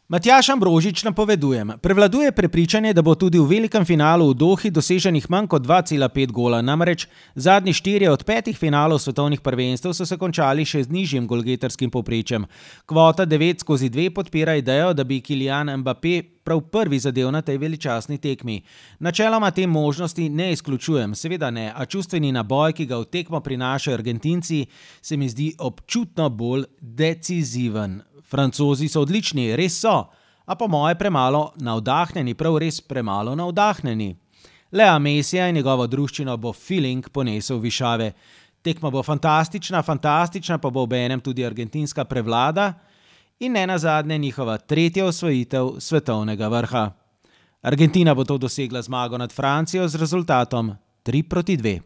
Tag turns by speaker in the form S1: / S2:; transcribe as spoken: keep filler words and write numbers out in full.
S1: Matjaž Ambrožič napovedujem. Prevladuje prepričanje, da bo tudi v velikem finalu v Dohi doseženih manj kot dva cela pet gola, namreč zadnji štirje od petih finalov svetovnih prvenstev so se končali še z nižjim golgetarskim povprečjem. Kvota devet skozi dve podpira idejo, da bi Kylian Mbappé prav prvi zadel na tej veličastni tekmi. Načeloma te možnosti ne izključujem, seveda ne, a čustveni naboj, ki ga v tekmo prinašajo Argentinci, se mi zdi občutno bolj deciziven. Francozi so odlični, res so, a po moje premalo navdahnjeni, prav res premalo navdahnjeni. Lea Messija in njegovo druščino bo feeling ponesel višave. Tekma bo fantastična, fantastična pa bo obenem tudi argentinska prevlada in ne nazadnje njihova tretja osvojitev svetovnega vrha. Argentina bo to dosegla zmago nad Francijo z rezultatom tri proti dve.